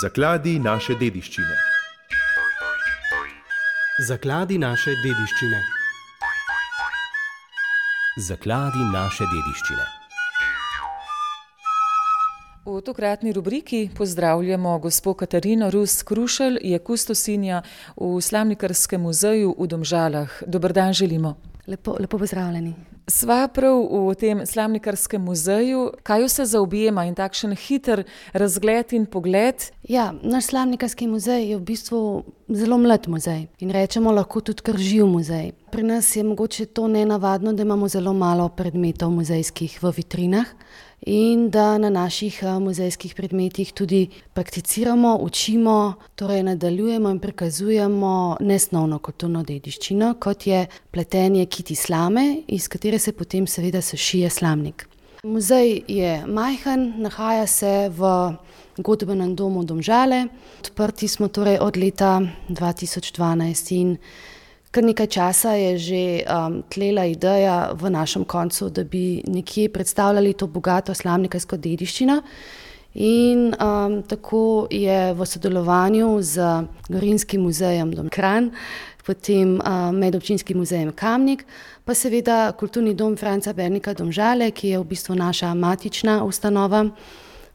Zakladi naše dediščine. Zakladi naše dediščine. Zakladi naše dediščine. V tokratni rubriki pozdravljamo gospo Katarino Rus Krušelj, je kustosinja v Slamnikarskem muzeju v Domžalah. Dober dan želimo. Lepo pozdravljeni. Sva prav v tem Slamnikarskem muzeju. Kaj vse zaobjema in takšen hiter razgled in pogled? Ja, naš Slamnikarski muzej je v bistvu zelo mlad muzej in rečemo lahko tudi kar živ muzej. Pri nas je mogoče to nenavadno, da imamo zelo malo predmetov muzejskih v vitrinah in da na naših muzejskih predmetih tudi prakticiramo, učimo, torej nadaljujemo in prikazujemo nesnovno kulturno dediščino, kot je pletenje kiti slame, iz katere se potem seveda sešije slamnik. Muzej je majhen, nahaja se v godbenem domu Domžale. Odprti smo torej od leta 2012 in kar nekaj časa je že tlela ideja v našem koncu, da bi nekje predstavljali to bogato slamnikarsko dediščino. In tako je v sodelovanju z Gorinskim muzejem Kranj, potem Medobčinskim muzejem Kamnik, pa seveda Kulturni dom Franca Bernika Domžale, ki je v bistvu naša matična ustanova.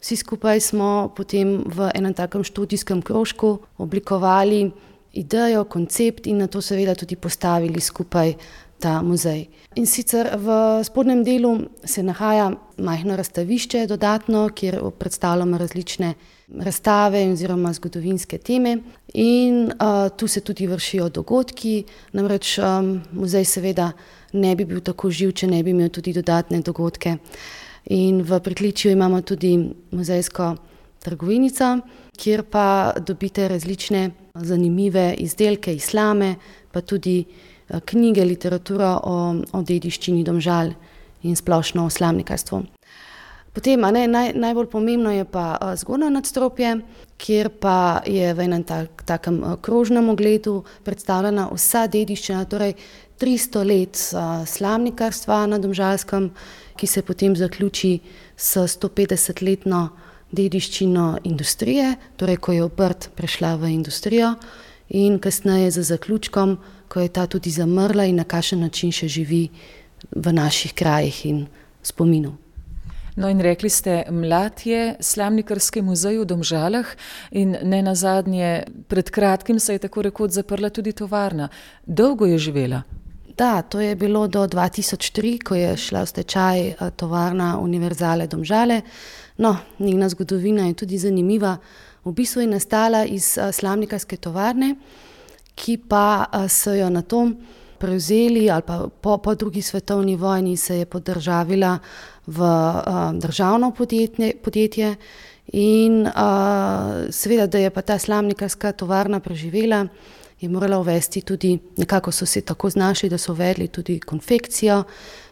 Vsi skupaj smo potem v enem takem študijskem krožku oblikovali idejo, koncept in nato seveda tudi postavili skupaj ta muzej. In sicer v spodnjem delu se nahaja majhno razstavišče dodatno, kjer predstavljamo različne razstave oziroma zgodovinske teme in tu se tudi vršijo dogodki, namreč muzej seveda ne bi bil tako živ, če ne bi imel tudi dodatne dogodke. In v pritličju imamo tudi muzejsko trgovinico, kjer pa dobite različne zanimive izdelke iz slame, pa tudi knjige, literaturo o dediščini Domžal in splošno o slamnikarstvu. Potem najbolj pomembno je pa zgornje nadstropje, kjer pa je v enem takem krožnem ogledu predstavljena vsa dediščina, torej 300 let slamnikarstva na Domžalskem, ki se potem zaključi s 150-letno dediščino industrije, torej ko je obrt prešla v industrijo in kasneje z zaključkom, ko je ta tudi zamrla in na kakšen način še živi v naših krajih in spominu. No in rekli ste, mlad je Slamnikarski muzej v Domžalah in nenazadnje pred kratkim se je tako rekoč zaprla tudi tovarna. Dolgo je živela? Da, to je bilo do 2003, ko je šla v stečaj tovarna Univerzale Domžale. No, njena zgodovina je tudi zanimiva. V bistvu je nastala iz slamnikarske tovarne, ki pa so jo nato prevzeli ali pa po drugi svetovni vojni se je podržavila v državno podjetje in seveda, da je pa ta slamnikarska tovarna preživela, je morala uvesti tudi, nekako so se tako znašli, da so uvedli tudi konfekcijo,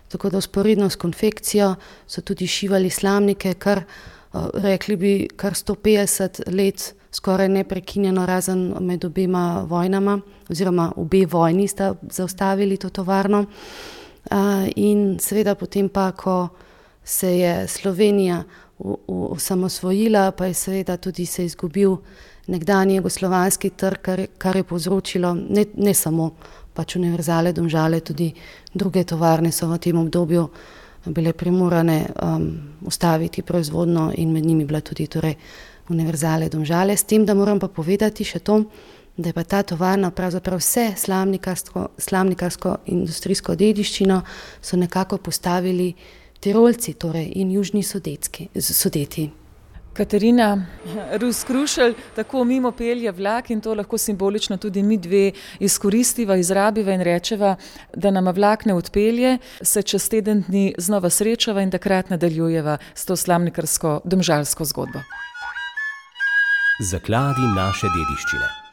tako da vzporedno s konfekcijo so tudi šivali slamnike, kar rekli bi kar 150 let skoraj neprekinjeno, razen med obema vojnama, oziroma obe vojni sta zaustavili to tovarno. In seveda potem pa, ko se je Slovenija osamosvojila, pa je seveda tudi se izgubil nekdanji jugoslovanski trg, kar je povzročilo ne samo pač Univerzale Domžale, tudi druge tovarne so v tem obdobju bile primorane ustaviti proizvodnjo in med njimi bila tudi torej Univerzale Domžale. S tem, da moram pa povedati še to, da je pa ta tovarna pravzaprav vse slamnikarsko industrijsko dediščino so nekako postavili Tirolci, torej in južni Sudeti. Katarina Rus Krušelj, tako mimo pelje vlak in to lahko simbolično tudi mi dve izkoristiva, izrabiva in rečeva, da nama vlak ne odpelje, se čez teden dni znova srečava in takrat nadaljujeva s to slamnikarsko domžalsko zgodbo. Zakladi naše dediščine.